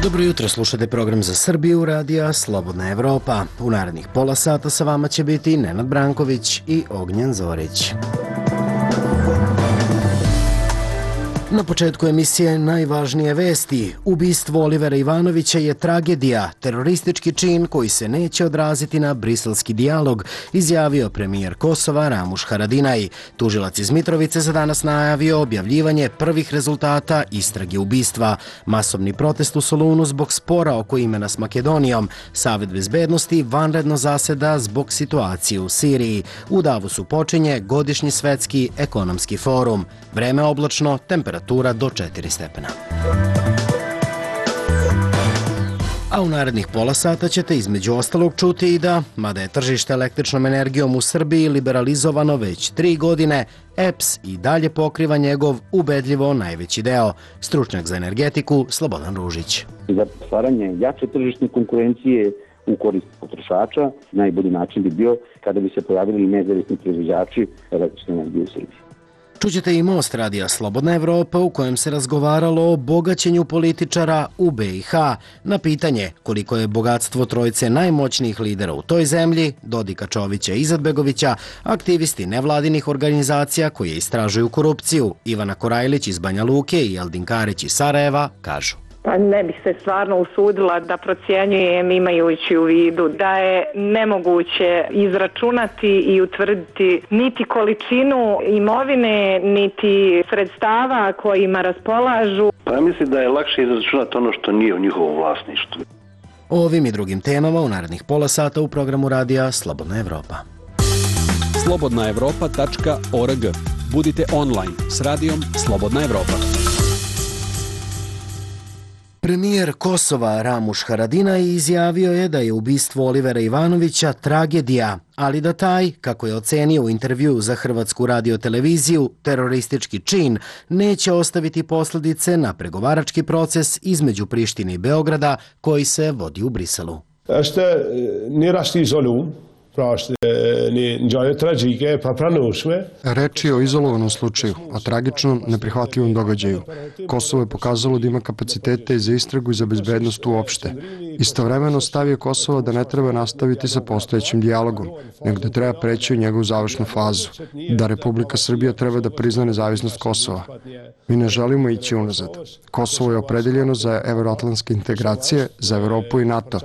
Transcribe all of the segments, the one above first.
Dobro jutro, slušate program za Srbiju, radija Slobodna Evropa. U narednih pola sata sa vama će biti Nenad Branković i Ognjen Zorić. Na početku emisije najvažnije vesti. Ubistvo Olivera Ivanovića je tragedija, teroristički čin koji se neće odraziti na briselski dijalog, izjavio premijer Kosova Ramuš Haradinaj. Tužilac iz Mitrovice za danas najavio objavljivanje prvih rezultata istrage ubistva. Masovni protest u Solunu zbog spora oko imena s Makedonijom. Savet bezbednosti vanredno zaseda zbog situacije u Siriji. U Davosu počinje godišnji svetski ekonomski forum. Vreme oblačno, temperatura do 4 stepena. A u narednih pola sata ćete između ostalog čuti i da, mada je tržište električnom energijom u Srbiji liberalizovano već 3 godine, EPS i dalje pokriva njegov ubedljivo najveći deo. Stručnjak za energetiku Slobodan Ružić. Za stvaranje jače tržišne konkurencije u korist potrošača najbolji način bi bio kada bi se pojavili nezavisni proizvođači električne energije u Srbiji. Čućete i Most radija Slobodna Evropa u kojem se razgovaralo o bogaćenju političara u BiH. Na pitanje koliko je bogatstvo trojice najmoćnijih lidera u toj zemlji, Dodika, Čovića i Izetbegovića, aktivisti nevladinih organizacija koje istražuju korupciju, Ivana Korajlić iz Banja Luke i Eldin Karić iz Sarajeva, kažu. Pa ne bih se stvarno usudila da procjenjujem imajući u vidu da je nemoguće izračunati i utvrditi niti količinu imovine, niti sredstava kojima raspolažu. Pa ja mislim da je lakše izračunati ono što nije u njihovom vlasništvu. O ovim i drugim temama u narednih pola sata u programu radija Slobodna Evropa. slobodnaevropa.org. Budite online s radijom Slobodna Evropa. Premijer Kosova Ramuš Haradinaj izjavio je da je ubistvo Olivera Ivanovića tragedija, ali da taj, kako je ocenio u intervjuu za Hrvatsku radioteleviziju, teroristički čin neće ostaviti posljedice na pregovarački proces između Prištine i Beograda koji se vodi u Briselu. Reč je o izolovanom slučaju, o tragičnom, neprihvatljivom događaju. Kosovo je pokazalo da ima kapacitete i za istragu i za bezbednost uopšte. Istovremeno stav je Kosovo da ne treba nastaviti sa postojećim dijalogom, nego da treba preći u njegovu završnu fazu, da Republika Srbija treba da prizna nezavisnost Kosova. Mi ne želimo ići unazad. Kosovo je opredeljeno za evroatlantske integracije, za Evropu i NATO.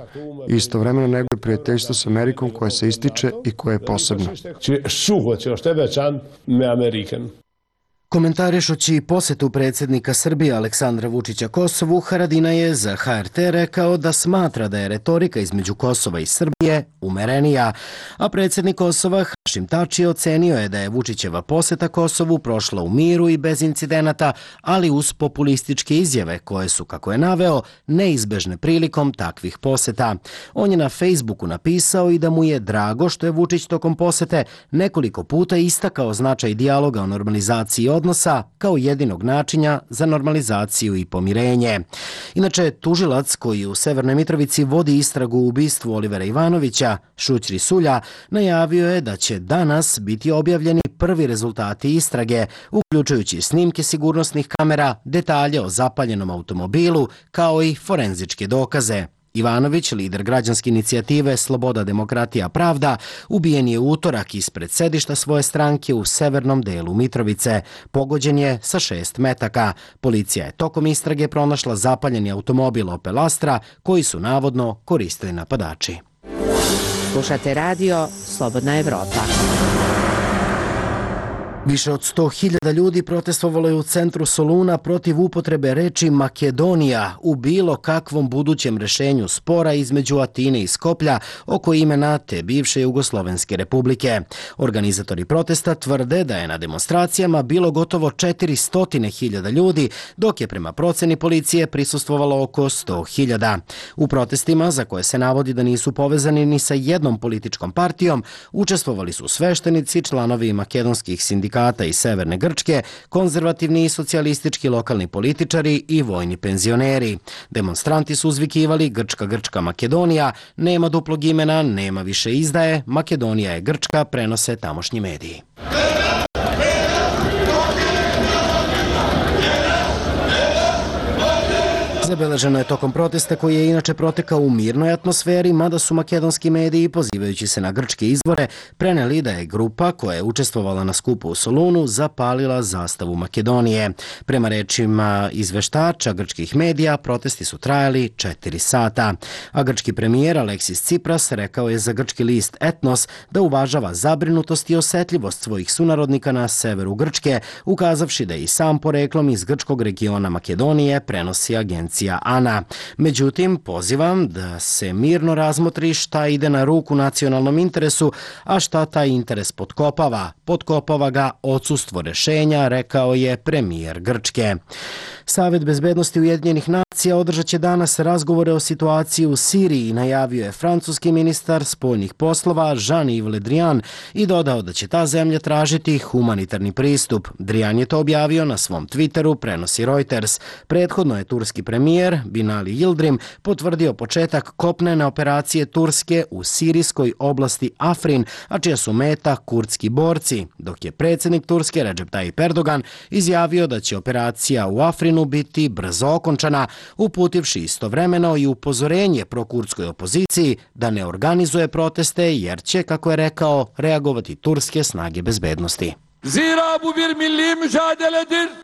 I istovremeno neguje prijateljstvo s Amerikom koje se ističe i koje je posebno. Komentarišući posetu predsjednika Srbije Aleksandra Vučića Kosovu, Haradinaj je za HRT rekao da smatra da je retorika između Kosova i Srbije umerenija, a predsjednik Kosova Hašim Tači ocenio je da je Vučićeva poseta Kosovu prošla u miru i bez incidenata, ali uz populističke izjave koje su, kako je naveo, neizbežne prilikom takvih poseta. On je na Facebooku napisao i da mu je drago što je Vučić tokom posete nekoliko puta istakao značaj dijaloga o normalizaciji odnosa kao jedinog načina za normalizaciju i pomirenje. Inače, tužilac koji u Severnoj Mitrovici vodi istragu u ubistvu Olivera Ivanovića, Šućri Sulja, najavio je da će danas biti objavljeni prvi rezultati istrage, uključujući snimke sigurnosnih kamera, detalje o zapaljenom automobilu, kao i forenzičke dokaze. Ivanović, lider građanske inicijative Sloboda, demokratija, pravda, ubijen je u utorak ispred sedišta svoje stranke u severnom delu Mitrovice. Pogođen je sa 6 metaka. Policija je tokom istrage pronašla zapaljeni automobil Opel Astra koji su navodno koristili napadači. Slušate radio Slobodna Evropa. Više od 100.000 ljudi protestovalo je u centru Soluna protiv upotrebe reči Makedonija u bilo kakvom budućem rešenju spora između Atine i Skoplja oko imena te bivše Jugoslovenske republike. Organizatori protesta tvrde da je na demonstracijama bilo gotovo 400.000 ljudi, dok je prema proceni policije prisustvovalo oko 100.000. U protestima, za koje se navodi da nisu povezani ni sa jednom političkom partijom, učestvovali su sveštenici, članovi makedonskih sindikata iz Severne Grčke, konzervativni i socijalistički lokalni političari i vojni penzioneri. Demonstranti su uzvikivali Grčka, Grčka, Makedonija, nema duplog imena, nema više izdaje, Makedonija je Grčka, prenose tamošnji mediji. Zabeleženo je tokom protesta koji je inače protekao u mirnoj atmosferi, mada su makedonski mediji, pozivajući se na grčke izvore, preneli da je grupa koja je učestvovala na skupu u Solunu zapalila zastavu Makedonije. Prema rečima izveštača grčkih medija, protesti su trajali 4 sata. A grčki premijer Aleksis Tsipras rekao je za grčki list Etnos da uvažava zabrinutost i osetljivost svojih sunarodnika na severu Grčke, ukazavši da je i sam poreklom iz grčkog regiona Makedonije, prenosi agencija ANA. Međutim, pozivam da se mirno razmotri šta ide na ruku nacionalnom interesu, a šta taj interes potkopava. Potkopava ga odsustvo rešenja, rekao je premijer Grčke. Savet bezbednosti Ujedinjenih nacija održat će danas razgovore o situaciji u Siriji, najavio je francuski ministar spoljnih poslova Jean-Yves Le Drian i dodao da će ta zemlja tražiti humanitarni pristup. Drian je to objavio na svom Twitteru, prenosi Reuters. Prethodno je turski premijer Binali Yildirim potvrdio početak kopnene operacije Turske u sirijskoj oblasti Afrin, a čija su meta kurdski borci, dok je predsjednik Turske Recep Tayyip Erdogan izjavio da će operacija u Afrinu biti brzo okončana, uputivši istovremeno i upozorenje prokurdskoj opoziciji da ne organizuje proteste jer će, kako je rekao, reagovati turske snage bezbednosti.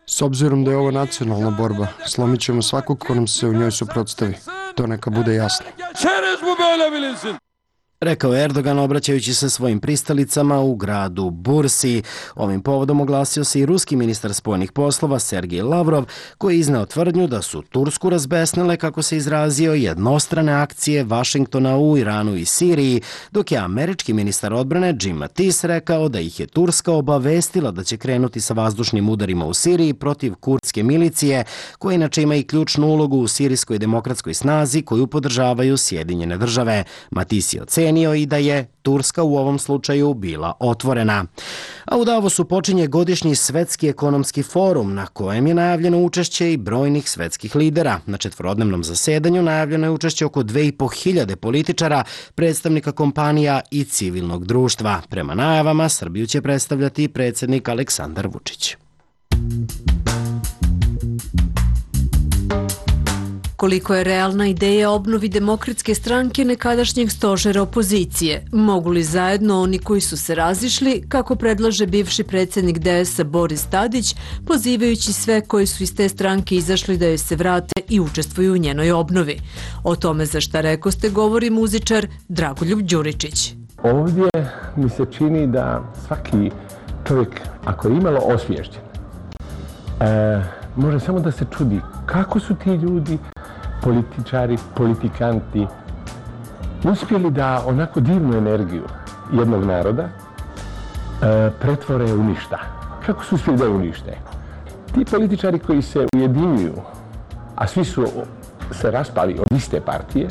S obzirom da je ovo nacionalna borba, slomit ćemo svakog ko nam se u njoj suprotstavi. To neka bude jasno. Rekao je Erdogan obraćajući se svojim pristalicama u gradu Bursi. Ovim povodom oglasio se i ruski ministar spoljnih poslova Sergej Lavrov, koji je izneo tvrdnju da su Tursku razbesnile, kako se izrazio, jednostrane akcije Vašingtona u Iranu i Siriji, dok je američki ministar odbrane Jim Mattis rekao da ih je Turska obavestila da će krenuti sa vazdušnim udarima u Siriji protiv kurdske milicije, koja inače ima i ključnu ulogu u sirijskoj demokratskoj snazi koju podržavaju Sjedinjene države. Mattis je ocenio i da je Turska u ovom slučaju bila otvorena. A u Davosu počinje godišnji svetski ekonomski forum na kojem je najavljeno učešće i brojnih svetskih lidera. Na četvorodnevnom zasedanju najavljeno je učešće oko 2500 političara, predstavnika kompanija i civilnog društva. Prema najavama, Srbiju će predstavljati predsjednik Aleksandar Vučić. Koliko je realna ideja obnovi Demokratske stranke nekadašnjeg stožera opozicije? Mogu li zajedno oni koji su se razišli, kako predlaže bivši predsjednik DS Boris Tadić, pozivajući sve koji su iz te stranke izašli da joj se vrate i učestvuju u njenoj obnovi? O tome za šta rekoste govori muzičar Dragoljub Đuričić. Ovdje mi se čini da svaki čovjek, ako je imalo osviješćen, može samo da se čudi kako su ti ljudi, političari, politikanti, uspjeli da onako divnu energiju jednog naroda pretvore u ništa. Kako su uspjeli da je unište? Ti političari koji se ujedinjuju, a svi su se raspali od iste partije,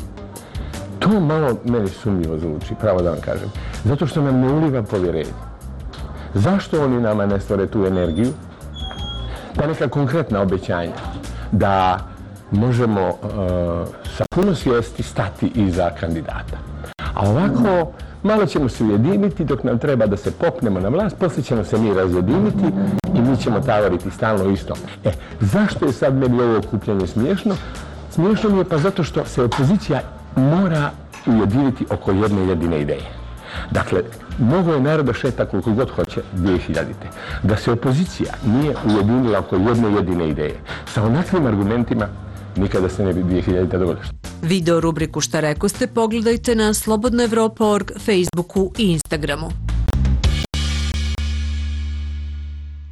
to malo meni sumnjivo zvuči, pravo da vam kažem. Zato što nam ne uliva povjerenje. Zašto oni nama ne stvore tu energiju? Ta neka konkretna obećanja da možemo sa puno svijesti stati iza kandidata. A ovako, malo ćemo se ujediniti dok nam treba da se popnemo na vlast, poslije ćemo se mi razjediniti i mi ćemo tavoriti stalno isto. Zašto je sad meni ovo okupljanje smiješno? Smiješno mi je pa zato što se opozicija mora ujediniti oko jedne jedine ideje. Dakle, mogo je narod da šeta koliko god hoće 2000. Da se opozicija nije ujedinila oko jedne jedine ideje. Sa onakvim argumentima nikada se ne bi 2000. dogodilo. Video rubriku Šta rekoste pogledajte na slobodnaevropa.org, Facebooku i Instagramu.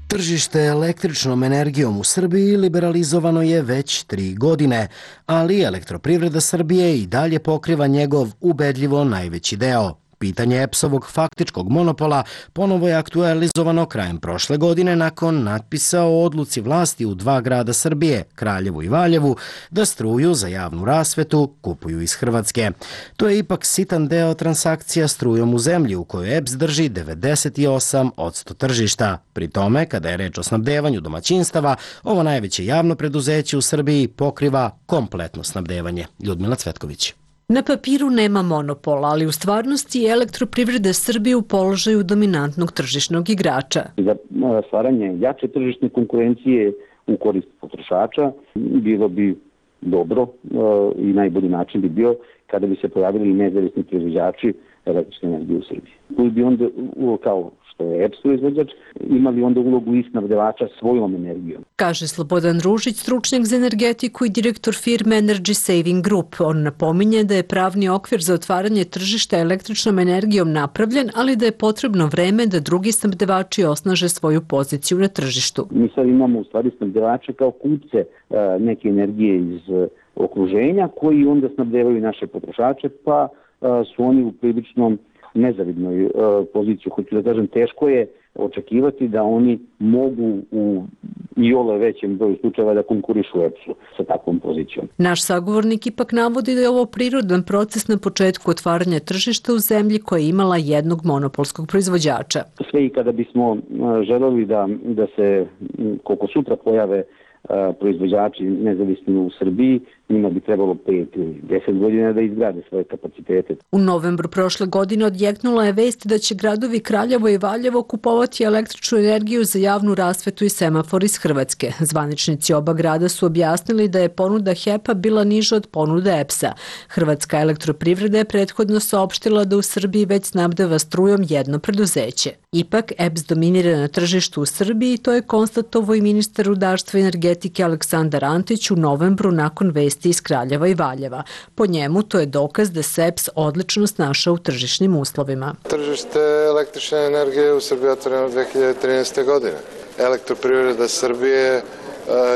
Tržište električnom energijom u Srbiji liberalizovano je već 3 godine, ali Elektroprivreda Srbije i dalje pokriva njegov ubedljivo najveći deo. Pitanje EPS-ovog faktičkog monopola ponovo je aktualizovano krajem prošle godine nakon natpisa o odluci vlasti u 2 grada Srbije, Kraljevu i Valjevu, da struju za javnu rasvetu kupuju iz Hrvatske. To je ipak sitan deo transakcija strujom u zemlji u kojoj EPS drži 98% tržišta. Pri tome, kada je reč o snabdevanju domaćinstava, ovo najveće javno preduzeće u Srbiji pokriva kompletno snabdevanje. Ljudmila Cvetković. Na papiru nema monopola, ali u stvarnosti je Elektroprivreda Srbije u položaju dominantnog tržišnog igrača. Za stvaranje jače tržišne konkurencije u korist potrošača bilo bi dobro i najbolji način bi bio kada bi se pojavili nezavisni proizvođači električne energije u Srbiji. Koji bi onda, kao što je EPS proizvođač, imali onda ulogu i snabdevača svojom energijom. Kaže Slobodan Ružić, stručnjak za energetiku i direktor firme Energy Saving Group. On napominje da je pravni okvir za otvaranje tržišta električnom energijom napravljen, ali da je potrebno vreme da drugi snabdevači osnaže svoju poziciju na tržištu. Mi sad imamo u stvari snabdevače kao kupce neke energije iz okruženja koji onda snabdevaju naše potrošače, pa su oni u priličnom nezavidnoj poziciji. Hoću da kažem, teško je očekivati da oni mogu u iole većem broju slučajeva da konkurišu EPS-u sa takvom pozicijom. Naš sagovornik ipak navodi da je ovo prirodan proces na početku otvaranja tržišta u zemlji koja je imala jednog monopolskog proizvođača. Sve i kada bismo želeli da se koliko sutra pojave proizvođači nezavisni u Srbiji, njima bi trebalo 5 ili 10 godina da izgrade svoje kapacitete. U novembru prošle godine odjeknula je vest da će gradovi Kraljevo i Valjevo kupovati električnu energiju za javnu rasvetu i semafor iz Hrvatske. Zvaničnici oba grada su objasnili da je ponuda HEP-a bila niža od ponude EPS-a. Hrvatska elektroprivreda je prethodno saopštila da u Srbiji već snabdeva strujom jedno preduzeće. Ipak, EPS dominira na tržištu u Srbiji i to je konstatovao i ministar rudarstva i energetike Aleksandar Antić u novembru nakon vesti iz Kraljeva i Valjeva. Po njemu to je dokaz da se EPS odlično snašao u tržišnim uslovima. Tržište električne energije u Srbiji je otvoreno 2013. godine. Elektroprivreda Srbije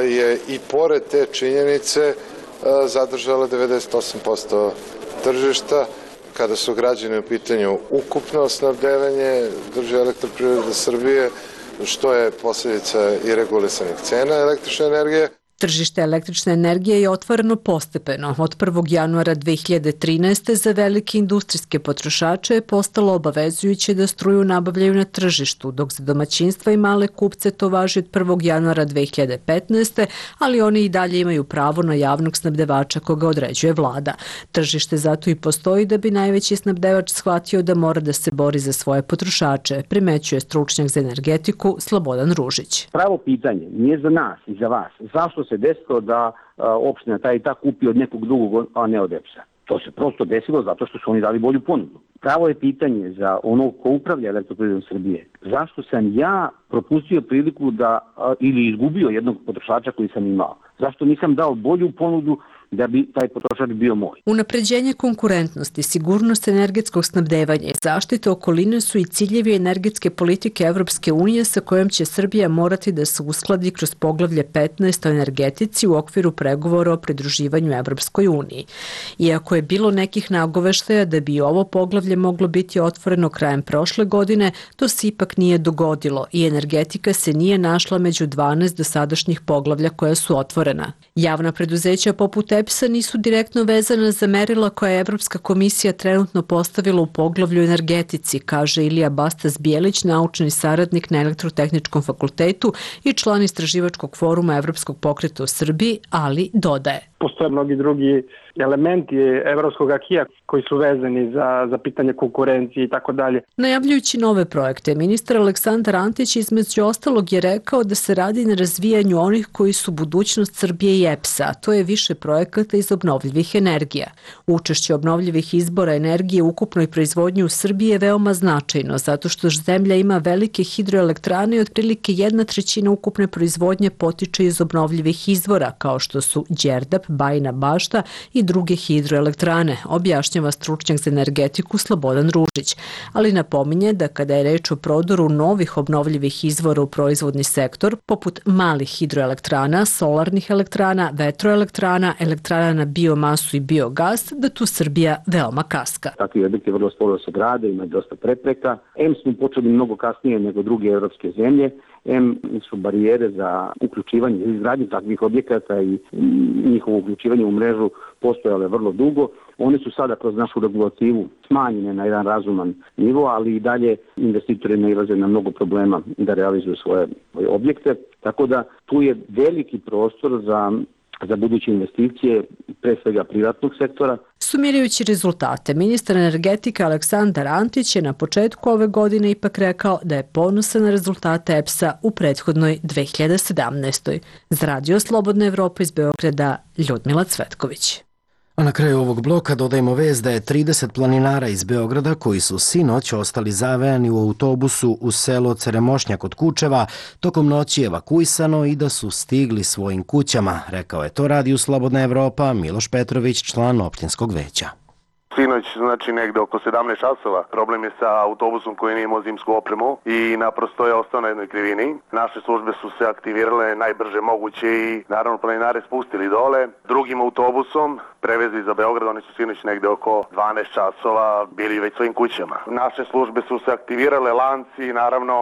je i pored te činjenice zadržala 98% tržišta. Kada su građani u pitanju ukupno snabdevanje drži Elektroprivreda Srbije, što je posljedica i regulisanih cena električne energije. Tržište električne energije je otvoreno postepeno. Od 1. januara 2013. za velike industrijske potrošače je postalo obavezujuće da struju nabavljaju na tržištu, dok za domaćinstva i male kupce to važi od 1. januara 2015. ali oni i dalje imaju pravo na javnog snabdevača koga određuje vlada. Tržište zato i postoji da bi najveći snabdevač shvatio da mora da se bori za svoje potrošače, primećuje stručnjak za energetiku Slobodan Ružić. Pravo pitanje nije za nas i za vas. Zašto se desilo da opština ta i ta kupi od nekog drugog, a ne od EPS-a? To se prosto desilo zato što su oni dali bolju ponudu. Pravo je pitanje za onog ko upravlja Elektroprivredom Srbije. Zašto sam ja propustio priliku ili izgubio jednog potrošača koji sam imao? Zašto nisam dao bolju ponudu da bi taj potrošač bio moj? Unapređenje konkurentnosti, sigurnost energetskog snabdevanja i zaštita okoline su i ciljevi energetske politike Evropske unije sa kojom će Srbija morati da se uskladi kroz poglavlje 15 o energetici u okviru pregovora o pridruživanju Evropskoj uniji. Iako je bilo nekih nagoveštaja da bi ovo poglavlje moglo biti otvoreno krajem prošle godine, to se ipak nije dogodilo i energetika se nije našla među 12 dosadašnjih poglavlja koja su otvorena. Javna preduzeća poput EPS-a nisu direktno vezana za merila koja je Evropska komisija trenutno postavila u poglavlju energetici, kaže Ilija Bastas-Bijelić, naučni saradnik na Elektrotehničkom fakultetu i član istraživačkog foruma Evropskog pokreta u Srbiji, ali dodaje. Postoje mnogi drugi elementi evropskog akija koji su vezani za pitanje konkurencije i tako dalje. Najavljujući nove projekte, ministar Aleksandar Antić između ostalog je rekao da se radi na razvijanju onih koji su budućnost Srbije i EPS-a. To je više projekata iz obnovljivih energija. Učešće obnovljivih izbora energije u ukupnoj proizvodnji u Srbiji je veoma značajno, zato što zemlja ima velike hidroelektrane i otprilike 1/3 ukupne proizvodnje potiče iz obnovljivih izvora, kao što su Đerdap, Bajina Bašta i druge hidroelektrane, objašnjava stručnjak za energetiku Slobodan Ružić, ali napominje da kada je reč o prodoru novih obnovljivih izvora u proizvodni sektor, poput malih hidroelektrana, solarnih elektrana, vetroelektrana, elektrana na biomasu i biogas, da tu Srbija veoma kaska. Takvi objekti vrlo sporo se grade, ima dosta prepreka. Smo počeli mnogo kasnije nego druge evropske zemlje. Su barijere za uključivanje i izgradnju takvih objekata i njihovo uključivanje u mrežu postojale vrlo dugo. One su sada kroz našu regulativu smanjene na jedan razuman nivo, ali i dalje investitori nailaze na mnogo problema da realizuju svoje objekte. Tako da tu je veliki prostor za za buduće investicije, pre svega privatnog sektora. Sumirajući rezultate, ministar energetike Aleksandar Antić je na početku ove godine ipak rekao da je ponosan na rezultate EPS-a u prethodnoj 2017. Za Radio Slobodna Evropa iz Beograda, Ljudmila Cvetković. A na kraju ovog bloka dodajemo vest da je 30 planinara iz Beograda koji su sinoć ostali zavejani u autobusu u selo Ceremošnjak kod Kučeva tokom noći evakuisano i da su stigli svojim kućama, rekao je to Radio Slobodna Evropa Miloš Petrović, član opštinskog veća. Sinoć, znači negde oko 17 časova, problem je sa autobusom koji nije imao zimsku opremu i naprosto je ostao na jednoj krivini. Naše službe su se aktivirale najbrže moguće i naravno planinare spustili dole. Drugim autobusom prevezli za Beograd, oni su sinoć negde oko 12 časova bili već svojim kućama. Naše službe su se aktivirale, lanci, naravno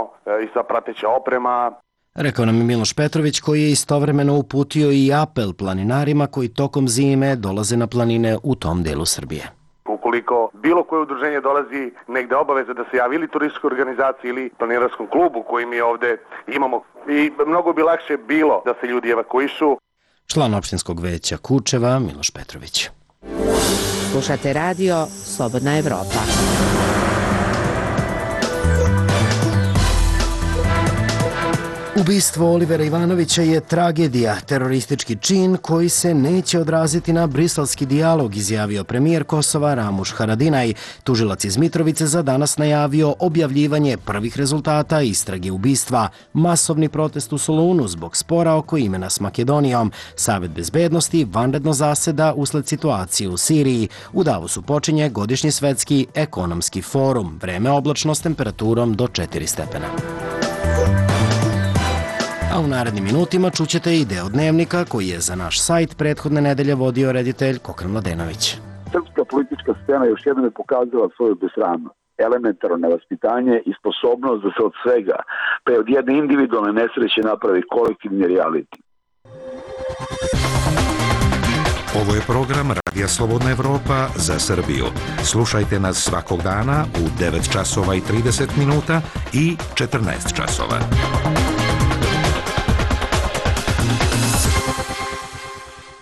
i sa prateća oprema. Rekao nam je Miloš Petrović, koji je istovremeno uputio i apel planinarima koji tokom zime dolaze na planine u tom delu Srbije. Ukoliko bilo koje udruženje dolazi negde obaveza da se javi ili turističkoj organizaciji ili planinarskom klubu koji mi ovde imamo i mnogo bi lakše bilo da se ljudi evakuišu. Član opštinskog veća Kučeva Miloš Petrović. Slušate Radio Slobodna Evropa. Ubistvo Olivera Ivanovića je tragedija, teroristički čin koji se neće odraziti na briselski dijalog, izjavio premijer Kosova Ramuš Haradinaj. Tužilac iz Mitrovice za danas najavio objavljivanje prvih rezultata istrage ubistva. Masovni protest u Solunu zbog spora oko imena s Makedonijom. Savet bezbednosti vanredno zaseda usled situacije u Siriji. U Davosu počinje godišnji svetski ekonomski forum. Vreme oblačno s temperaturom do 4 stepena. A u narednim minutima čućete i deo dnevnika koji je za naš sajt prethodne nedelje vodio reditelj Kokran Mladenović. Srpska politička scena još jednom je pokazala svoju besramnost, elementarno nevaspitanje i sposobnost da se od svega, pa od jedne individualne nesreće napravi kolektivni reality. Ovo je program Radija Slobodna Evropa za Srbiju. Slušajte nas svakog dana u 9 časova i 30 minuta i 14 časova.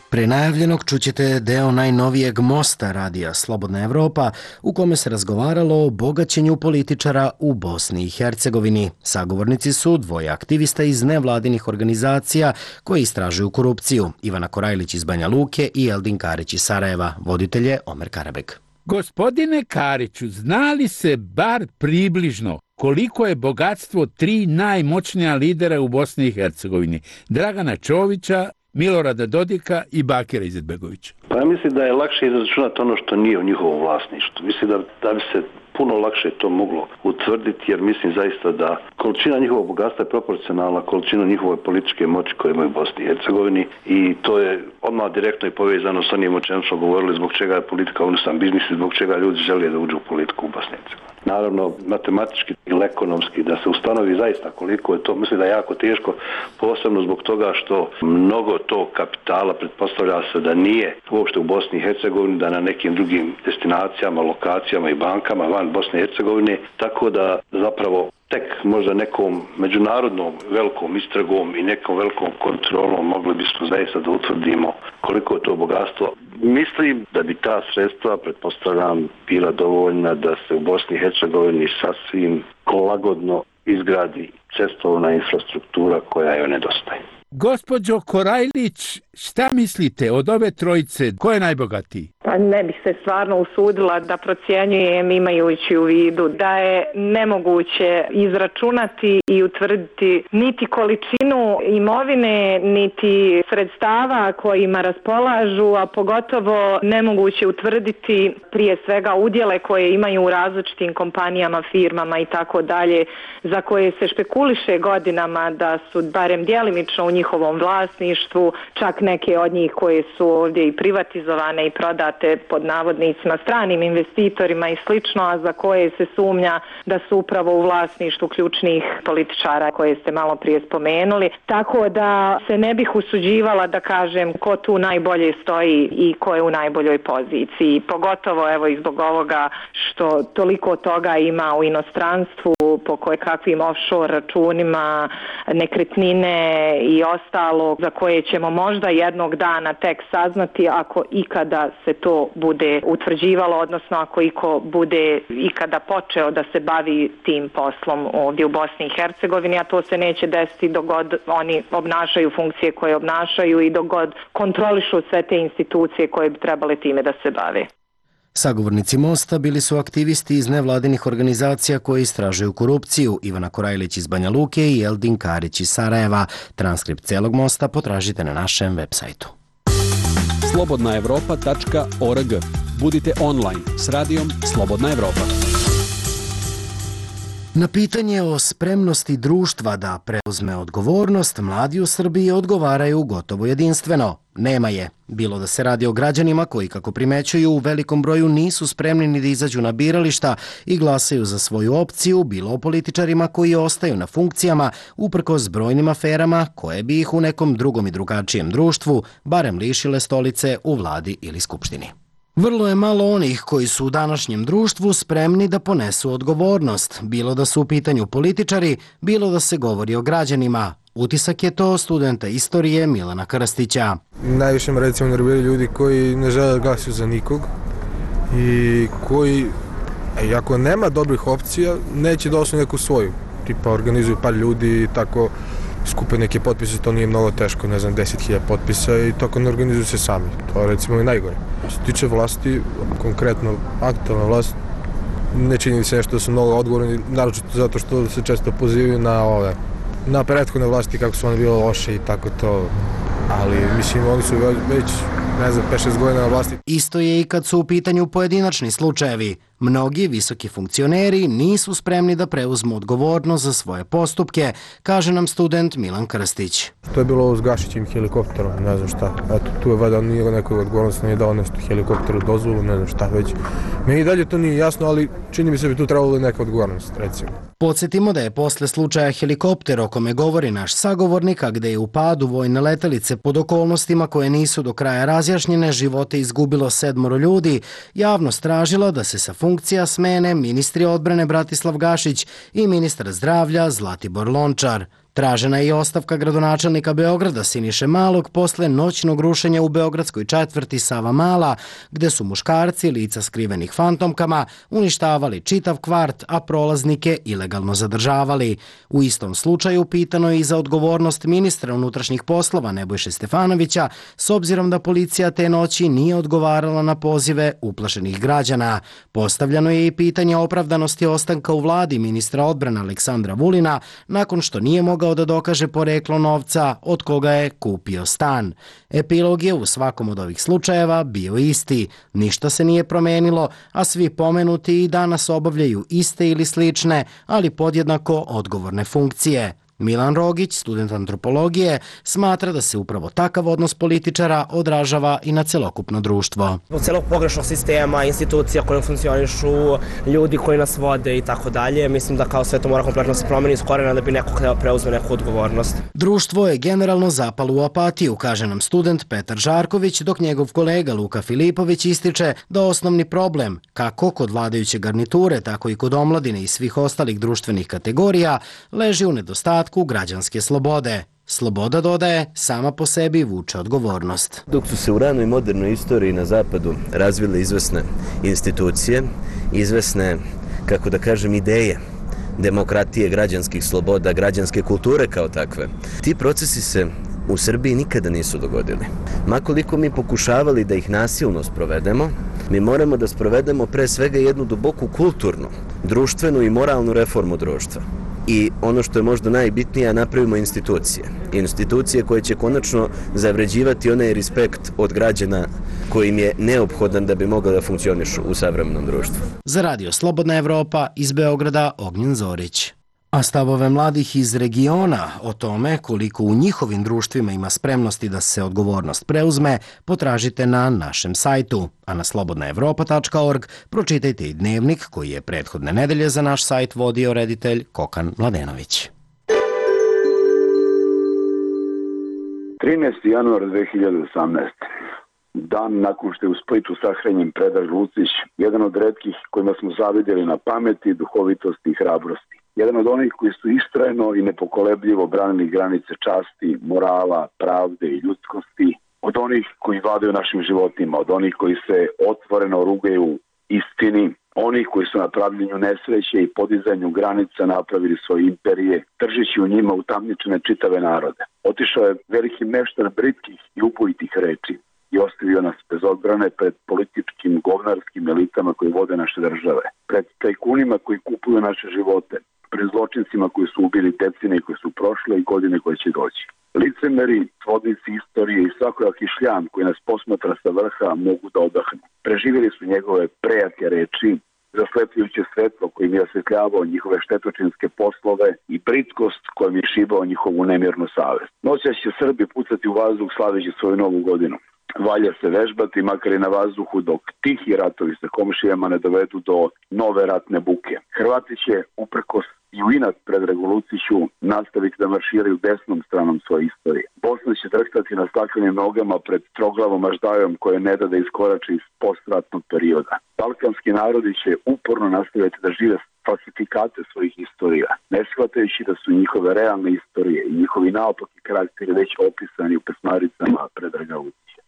Pre najavljenog čućete deo najnovijeg mosta Radija Slobodna Evropa u kome se razgovaralo o bogaćenju političara u Bosni i Hercegovini. Sagovornici su dvoje aktivista iz nevladinih organizacija koji istražuju korupciju, Ivana Korajlić iz Banja Luke i Eldin Karić iz Sarajeva. Voditelj je Omer Karabeg. Gospodine Kariću, zna li se bar približno koliko je bogatstvo 3 najmoćnija lidera u Bosni i Hercegovini? Dragana Čovića, Milorada Dodika i Bakira Izetbegovića. Pa ja mislim da je lakše izračunati ono što nije u njihovom vlasništvu. Mislim da bi se puno lakše to moglo utvrditi, jer mislim zaista da količina njihovog bogatstva je proporcionalna količina njihove političke moći koje imaju u Bosni i Hercegovini i to je odmah direktno i povezano sa onim o čemu smo govorili zbog čega je politika unosan biznis i zbog čega ljudi žele da uđu u politiku u Bosni i Hercegovini. Naravno, matematički ili ekonomski da se ustanovi zaista koliko je to, mislim da je jako teško, posebno zbog toga što mnogo tog kapitala pretpostavlja se da nije uopšte u Bosni i Hercegovini, da na nekim drugim destinacijama, lokacijama i bankama van Bosne i Hercegovine, tako da zapravo tek možda nekom međunarodnom velikom istragom i nekom velikom kontrolom mogli bismo zaista da utvrdimo koliko je to bogatstvo. Mislim da bi ta sredstva, pretpostavljam, bila dovoljna da se u Bosni i Hercegovini sasvim lagodno izgradi cestovna infrastruktura koja joj nedostaje. Gospođo Korajlić, šta mislite od ove trojice? Ko je najbogatiji? Pa ne bih se stvarno usudila da procjenjujem imajući u vidu da je nemoguće izračunati i utvrditi niti količinu imovine, niti sredstava kojima raspolažu, a pogotovo nemoguće utvrditi prije svega udjele koje imaju u različitim kompanijama, firmama i tako dalje, za koje se špekuliše godinama da su barem djelimično u njihovom vlasništvu, čak neke od njih koje su ovdje i privatizovane i prodate pod navodnicima stranim investitorima i slično, a za koje se sumnja da su upravo u vlasništvu ključnih političara koje ste malo prije spomenuli. Tako da se ne bih usuđivala da kažem ko tu najbolje stoji i ko je u najboljoj poziciji. Pogotovo evo i zbog ovoga što toliko toga ima u inostranstvu, po kakvim offshore računima, nekretnine i ostalo za koje ćemo možda jednog dana tek saznati ako ikada se to bude utvrđivalo, odnosno ako iko bude ikada počeo da se bavi tim poslom ovdje u Bosni i Hercegovini, a to se neće desiti dok god oni obnašaju funkcije koje obnašaju i dok god kontrolišu sve te institucije koje bi trebale time da se bave. Sagovornici Mosta bili su aktivisti iz nevladinih organizacija koje istražuju korupciju, Ivana Korajlić iz Banja Luke i Eldin Karić iz Sarajeva. Transkript celog Mosta potražite na našem web sajtu. slobodnaevropa.org. Budite online s radijom Slobodna Evropa. Na pitanje o spremnosti društva da preuzme odgovornost, mladi u Srbiji odgovaraju gotovo jedinstveno. Nema je. Bilo da se radi o građanima koji, kako primećuju, u velikom broju nisu spremni ni da izađu na birališta i glasaju za svoju opciju, bilo o političarima koji ostaju na funkcijama uprkos brojnim aferama koje bi ih u nekom drugom i drugačijem društvu barem lišile stolice u vladi ili skupštini. Vrlo je malo onih koji su u današnjem društvu spremni da ponesu odgovornost, bilo da su u pitanju političari, bilo da se govori o građanima. Utisak je to studenta istorije Milana Krstića. Najviše me recimo nerviraju ljudi koji ne žele da glasaju za nikog i koji, ako nema dobrih opcija, neće da osnovu neku svoju. Tipa organizuju par ljudi i tako skupe neke potpise, to nije mnogo teško, ne znam, 10.000 potpisa i tako ne organizuju se sami. To je recimo i najgore. Što se tiče vlasti, konkretno aktualna vlast, ne čini se nešto da su mnogo odgovorni, naročito zato što se često pozivaju na prethodne vlasti kako su one bile loše i tako to, ali mislim oni su već, ne znam, 5-6 godina na vlasti. Isto je i kad su u pitanju pojedinačni slučajevi. Mnogi visoki funkcioneri nisu spremni da preuzmu odgovornost za svoje postupke, kaže nam student Milan Krstić. To je bilo ovo s Gašićim helikopterom, ne znam šta. Eto, tu je valjda nije nekoj odgovornost, nije dao nešto helikopteru dozvolu, ne znam šta već. Meni dalje to nije jasno, ali čini mi se bi tu trebalo neka odgovornost, recimo. Podsjetimo da je posle slučaja helikopter o kome govori naš sagovornik, a gde je u padu vojne letelice pod okolnostima koje nisu do kraja razjašnjene, živote izgubilo 7 ljudi, javnost tražila da se sa funkcija smene ministri odbrane Bratislav Gašić i ministar zdravlja Zlatibor Lončar. Tražena je i ostavka gradonačelnika Beograda Siniše Malog posle noćnog rušenja u beogradskoj četvrti Sava Mala, gde su muškarci, lica skrivenih fantomkama, uništavali čitav kvart, a prolaznike ilegalno zadržavali. U istom slučaju pitano je i za odgovornost ministra unutrašnjih poslova Nebojše Stefanovića, s obzirom da policija te noći nije odgovarala na pozive uplašenih građana. Postavljano je i pitanje opravdanosti ostanka u vladi ministra odbrane Aleksandra Vulina, nakon što nije mogao da dokaže poreklo novca od koga je kupio stan. Epilog je u svakom od ovih slučajeva bio isti. Ništa se nije promenilo, a svi pomenuti i danas obavljaju iste ili slične, ali podjednako odgovorne funkcije. Milan Rogić, student antropologije, smatra da se upravo takav odnos političara odražava i na celokupno društvo. Od celog pogrešnog sistema, institucija koje funkcionišu, ljudi koji nas vode i tako dalje, mislim da kao sve to mora kompletno se promeni iz korena da bi neko preuzme neku odgovornost. Društvo je generalno zapalo u apatiju, kaže nam student Petar Žarković, dok njegov kolega Luka Filipović ističe da osnovni problem, kako kod vladajuće garniture, tako i kod omladine i svih ostalih društvenih kategorija, leži u nedostatku građanske slobode. Sloboda, dodaje, sama po sebi vuče odgovornost. Dok su se u ranoj modernoj istoriji na zapadu razvile izvesne institucije, izvesne, kako da kažem, ideje demokratije, građanskih sloboda, građanske kulture kao takve, ti procesi se u Srbiji nikada nisu dogodili. Makoliko mi pokušavali da ih nasilno sprovedemo, mi moramo da sprovedemo pre svega jednu duboku kulturnu, društvenu i moralnu reformu društva. I ono što je možda najbitnije, napravimo institucije. Institucije koje će konačno zavređivati onaj respekt od građana koji im je neophodan da bi mogla da funkcionišu u savremenom društvu. Za Radio Slobodna Evropa iz Beograda Ognjen Zorić. A stavove mladih iz regiona o tome koliko u njihovim društvima ima spremnosti da se odgovornost preuzme, potražite na našem sajtu. A na slobodnaevropa.org pročitajte i dnevnik koji je prethodne nedelje za naš sajt vodio reditelj Kokan Mladenović. 13. januar 2018. Dan nakon što je u Splitu sahranjen Predrag Lucić, jedan od retkih kojima smo zavidjeli na pameti, duhovitosti i hrabrosti. Jedan od onih koji su istrajno i nepokolebljivo branili granice časti, morala, pravde i ljudskosti od onih koji vladaju našim životima, od onih koji se otvoreno rugaju istini, oni koji su na pravljenju nesreće i podizanju granica napravili svoje imperije, držeći u njima utamničene čitave narode. Otišao je veliki meštar britkih i upojitih reči i ostavio nas bez odbrane pred političkim govnarskim elitama koji vode naše države, pred tajkunima koji kupuju naše živote, pred zločincima koji su ubili decenije koje su prošle i godine koje će doći. Licemeri, svodnici istorije i svakojaki šljam koji nas posmatra sa vrha mogu da odahnu. Preživjeli su njegove prejake reči, zaslepljujuće svetlo kojim je osvetljavao njihove štetočinske poslove i britkost kojim je šibao njihovu nemirnu savest. Noćas će Srbi pucati u vazduh slaveći svoju novu godinu. Valja se vežbati, makar i na vazduhu, dok tihi ratovi sa komšijama ne dovedu do nove ratne buke. Hrvati će, uprkos i u inat pred revoluciju, nastaviti da marširaju desnom stranom svoje istorije. Bosna će drhtati na staklenim nogama pred troglavom aždajom koje ne da iskorači iz postratnog perioda. Balkanski narodi će uporno nastaviti da žive falsifikate svojih istorija, ne shvatajući da su njihove realne istorije i njihovi naopaki karakteri već opisani u pesmaricama Predraga Vučića.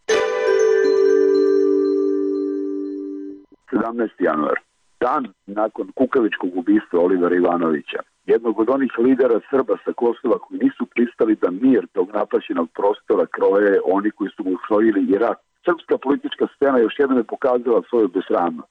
17. januar. Dan nakon kukavičkog ubistva Olivera Ivanovića, jednog od onih lidera Srba sa Kosova koji nisu pristali da mir tog napaćenog prostora kroje oni koji su mu usvojili i rat. Srpska politička scena još jednom je pokazala svoju besramnost,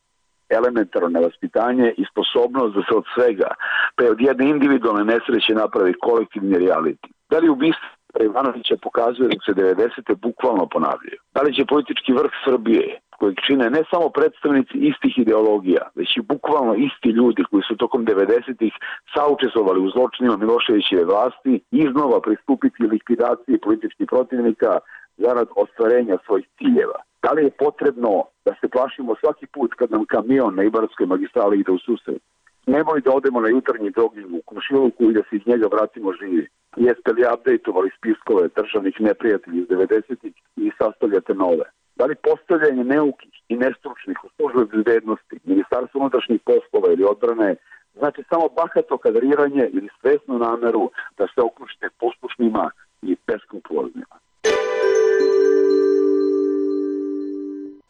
elementarno nevaspitanje i sposobnost da se od svega, pa od jedne individualne nesreće napravi kolektivni reality. Da li ubistvo Ivanovića pokazuje da se 90. bukvalno ponavljaju? Da li će politički vrh Srbije, kojeg čine ne samo predstavnici istih ideologija, već i bukvalno isti ljudi koji su tokom 90-ih saučestvovali u zločinima Miloševićeve vlasti, iznova pristupiti likvidaciji političkih protivnika zarad ostvarenja svojih ciljeva? Da li je potrebno da se plašimo svaki put kad nam kamion na Ibarskoj magistrali ide u susret? Nemoj da odemo na jutarnji jogging u komšiluku i da se iz njega vratimo živi. Jeste li updateovali spiskove državnih neprijatelji iz 90-ih i sastavljate nove? Da li postavljanje neukih i nestručnih u službe bezbednosti, Ministarstvo unutrašnjih poslova ili odbrane znači samo bahato kadriranje ili svesnu nameru da se okružite poslušnima i beskrupuloznima?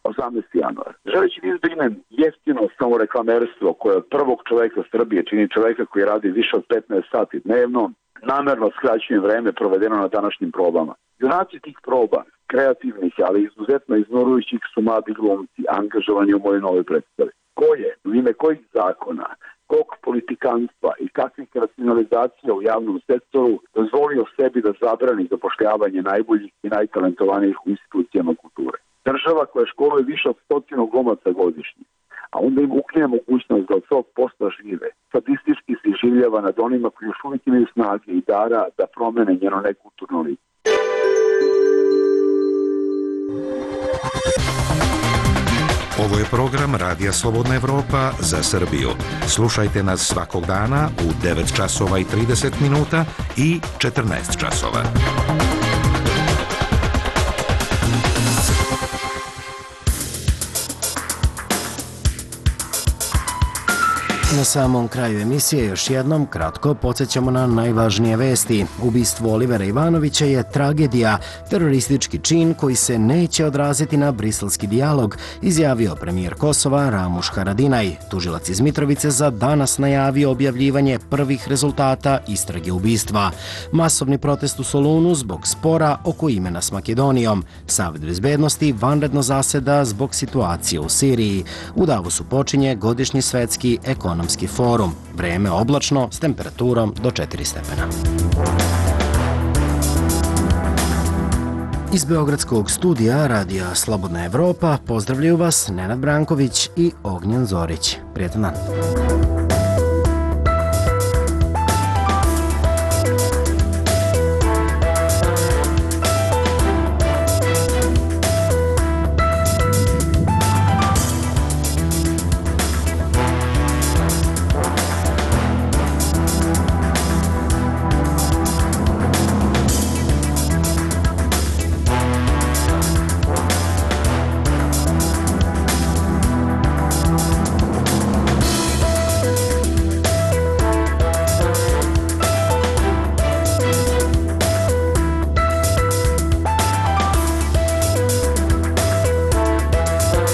18. januar. Želeći da izbegnem jeftino samoreklamerstvo koje od prvog čoveka Srbije čini čoveka koji radi više od 15 sati dnevno, namerno skraćujem vreme provedeno na današnjim probama. Junaci tih proba, kreativnih, ali izuzetno iznorujućih su mladi glumci, angažovani u mojoj novoj predstavi. Ko je, u ime kojih zakona, kog politikanstva i kakvih racionalizacija u javnom sektoru dozvolio sebi da zabrani zapošljavanje najboljih i najtalentovanijih u institucijama kulture? Država koja školuje više od 100 glumaca godišnje, a onda im ukine mogućnost da od svog posla žive, statistički se življava nad onima koji još uvijek imaju snage i dara da promene njeno nekulturno lice. Ovo je program Radija Slobodna Evropa za Srbiju. Slušajte nas svakog dana u 9 časova i 30 minuta i 14 časova. Na samom kraju emisije još jednom kratko podsjećamo na najvažnije vesti. Ubistvo Olivera Ivanovića je tragedija, teroristički čin koji se neće odraziti na briselski dijalog, izjavio premijer Kosova Ramuš Haradinaj. Tužilac iz Mitrovice za danas najavio objavljivanje prvih rezultata istrage ubistva. Masovni protest u Solunu zbog spora oko imena s Makedonijom. Savet bezbednosti vanredno zaseda zbog situacije u Siriji. U Davosu počinje godišnji svetski ekonomski forum. Vreme oblačno s temperaturom do 4 stepena. Iz Beogradskog studija Radija Slobodna Evropa pozdravljaju vas Nenad Branković i Ognjen Zorić. Prijetan dan.